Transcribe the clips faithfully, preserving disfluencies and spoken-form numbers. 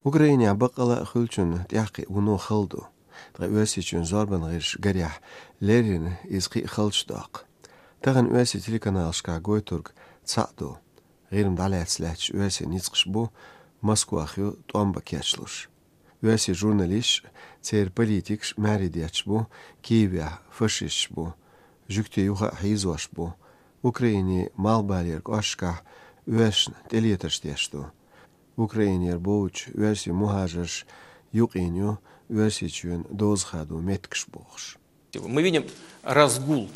Украинехь баккъала а хуьлучунна тӀаьхьакхиъ вуно хала ду. Ткъа Оьрсийчоьнан зорбан гӀирсаша, гарехь, леррина иза кхин а халчу доккху. Тахана оьрсийн телеканалашкахь гойтург цхьаъ ду. ГӀирма дӀалаьцна лаьтташ оьрсийн ницкъаш бу, Москвах ю тӀом бан кечлуш. Оьрсийн журналисташ а, церан политикаш а маьрий детташ бу Киевехь фашисташ бу, жуьгтийн юха а хьийзош бу, Украинин малхбалера кӀошташкахь оьрсашна тӀелетарш деш ду. Украинера боьлхучу оьрсийн мухӀажарша юкъийна ю Оьрсийчоьнан доза хадо меттигаш бохуш. Мы видим разгул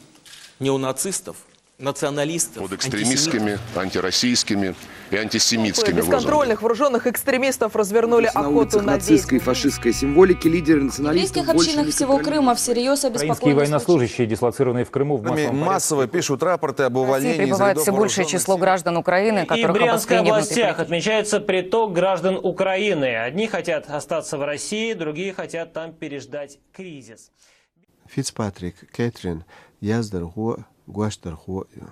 неонацистов, националистов, под экстремистскими, антисемитскими, антироссийскими и антисемитскими лозунгами. Бесконтрольных вооружённых экстремистов развернули охоту на ведьм. На улицах нацистской и фашистской символики лидеры националистов больше не контролируют. В еврейских общинах всего Крыма всерьёз обеспокоены случаи. Украинские военнослужащие, дислоцированные в Крыму, в массовом порядке. Массово пишут рапорты об увольнении из рядов вооружённых сил. В России пребывает всё большее число граждан Украины, которых обстреливают и притесняют. И в Брянской областях отмечается приток граждан Украины. Одни хотят остаться в России, другие хотят там переждать кризис. Фицпатрик Кэтрин яздархо а, гочдархо а ю.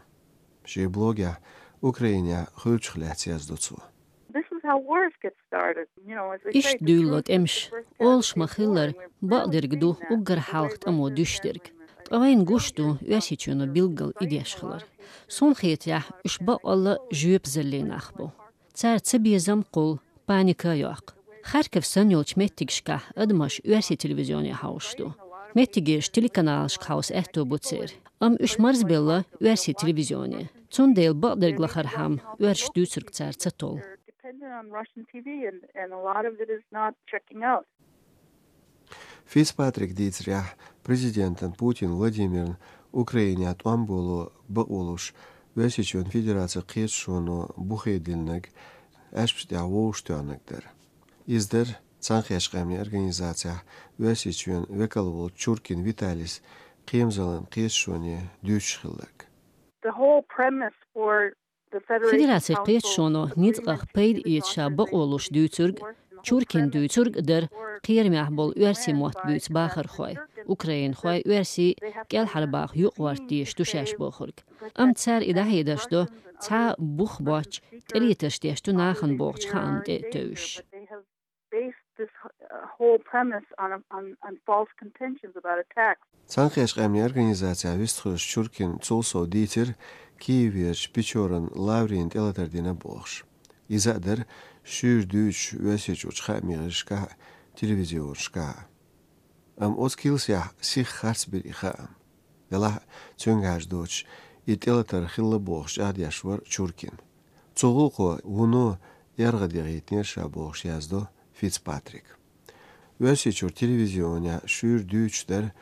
Шен блогехь Украинехь хуьлучух лаьцна яздо цо. This is how wars get started. You know, as they say, the truth is the first step to reform. Иштта дуьйлало тӀемаш. Олуш ма-хиллара, бакъдерг ду уггар хьалха тӀамо дуьсуш дерг. Ткъа вайна гуш ду Оьрсийчоьно билггал и деш хилар. Суна хетарехь, уьш баккъалла а жоьпазаллин нах бу. Цара цабезам кхуллу, паника а йоккху. Харьков санна йолчу меттигашкахь адамаш оьрсийн телевизионе хьовсуш ду. Меттигерчу телеканалашка хьовса аьтто бу церан. Амма уьш марзбелла оьрсийн телевизионе. Цундела бакъдерг лахархьама, оьрсаша дуьйцург цара ца толлу. They're dependent on Russian T V, and, and a lot of it is not checking out. Фицпатрика дийцарехь, президентан Путин Владимирна Украинехь тӀом боло бакъо луш, Оьрсийчоьнан Федерацин кхеташоно бухе диллинарг аьшпаш тӀехь вовшахтоьхнарг дара. Иза дара Цхьаьнакхеттачу Къаьмнийн Организацехь Оьрсийчоьнан векал волчу Чуркин Виталис кхерамзаллин кхеташоне дуьйцуш хилларг. The whole premise for Федерацин кхеташоно ницкъах пайда эца ша бакъо луш дуьйцург, Чуркин дуьйцург а дара, кхерамехь болу оьрсийн мотт буьйцу бахархой, украинхой, оьрсий кӀелхьарбаха юкъагӀорта дезаш ду шаьш бохург. Амма цара и дӀахьедарш до, цхьа а бух боццуш, тӀелетарш деш ду нахана бохучу хаамна тӀе а тевжаш. Based this, uh, whole premise on, on, on false contentions about attacks. Цхьаьнакхеттачу Къаьмнийн Организацехь вистхуьлуш Чуркин цул сов дийцира Киеверчу Печоран Лаврина тӀелатар дина бохуш. Иза а дара шуьйра дуьйцуш Оьрсийчуьрчу хаамийн гӀирсашкахь а, телевизионашкахь а. Амма оцу килсехь сиха харцбира и хаам. Делахь а, цуьнга хьаьждоцуш, и тӀелатар хилла бохуш чӀагӀдеш вара Чуркин. Цу гӀуллакхо вуно эргӀа дегӀийтинера ша бохуш яздо Фицпатрика. Оьрсийчуьра телевизионехь шуьйра дуьйцуш дара,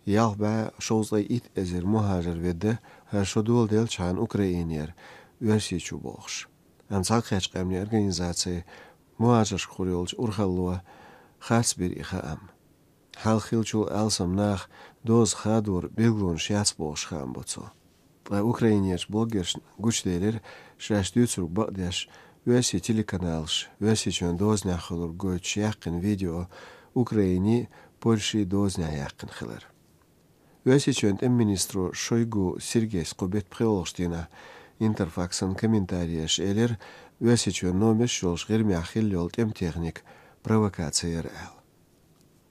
ялх бӀе шовзткъе итт эзар мухӀажар ведда хӀара шо доладелчхьана Украинера Оьрсийчу бохуш. Амма Цхьаьнакхеттачу Къаьмнийн Организацин мухӀажаршка хир йолчу урхалло харцбира и хаам. Хьалха хиллачул алсам наха доза хадоран билгалонаш яц бохуш хаам бо цо. Ткъа Украинерчу блогершна гучуделира, шаьш дуьйцург бакъдеш, оьрсийн телеканалаш Оьрсийчоьнан дозанехь хиларг гойтуш яьккхина видео Украинин, Польшин дозанехь яьккхина хилар. Оьрсийчоьнан тӀеман министро Шойгу Сергейс кху беттан пхоьалгӀачу дийнахь Интерфаксан комментареш элира, Оьрсийчоьнан номерш йолуш ГӀирмехь хилла йолу тӀеман техника провокаци яра аьлла.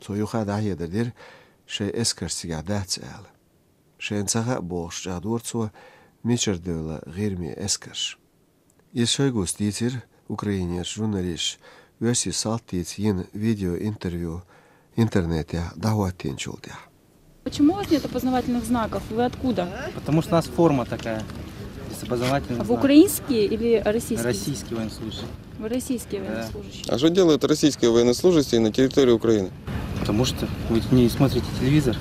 Цо юха а дӀахьедар дира, шайн эскарш цигахь дац аьлла. Шайна ца хаьа бохуш чӀагӀдора цо, мичара девлла ГӀирмин эскарш. Иза Шойгус дийцира Украинерчу журналисташа оьрсийн салтица йина видеоинтервью интернетехь дӀахӀоттийначул тӀаьхьа. Почему у вас нет опознавательных знаков? Вы откуда? Потому что у нас форма такая. Здесь опознавательный знак. А вы украинские или российские? Российский военнослужащий. Вы российские военнослужащие? Да. А что делают российские военнослужащие на территории Украины? Потому что вы не смотрите телевизор.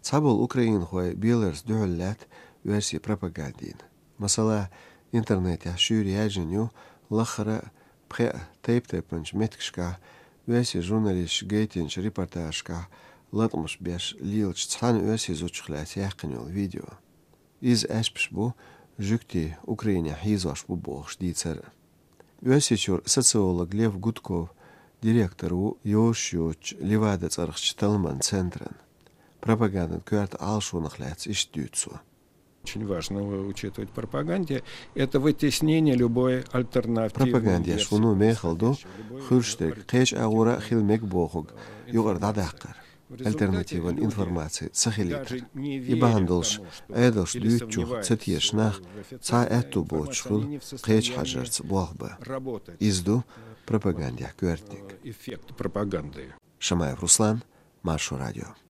Цхьаболу украинхой беларца дуьхьал лаьтта оьрсийн пропагандина. Масала, интернетехь шуьйра яьржина ю лаххара а пхеа тайп-тайпанчу меттигашкахь оьрсийн журналисташа гайтинчу репортажашкахь латкъамаш беш лелачу цхьана оьрсийн зудчух лаьцна яьккхина йолу видео. Иза аьшпаш бу жуьгтий Украинехь хьийзош бу бохуш дийцар а. Оьрсийчуьра социолог Лев Гудков директор ву йозуш йоцучу Левада цӀарахчу талламан центран. Пропагандин коьрта Ӏалашонах лаьцна иштта дуьйцу цо. Очень важно учитывать в пропаганде, это вытеснение любой альтернативной Пропагандеш версии вуно мехал ду, происходящего, любой хуьрш дерг кхеча агӀора хила мег бохуг, юкъара дӀадаккхар. Альтернативан информаци ца хилийтар. И бахьана долуш, Ӏедалш дуьйцучух ца тешаш нах цхьа аьтту боцуш хуьлу кхеча хьажарца болх бан. Иза ду пропагандех коьртаниг. Эффект пропаганды. Шамаев Руслан, Маршо радио.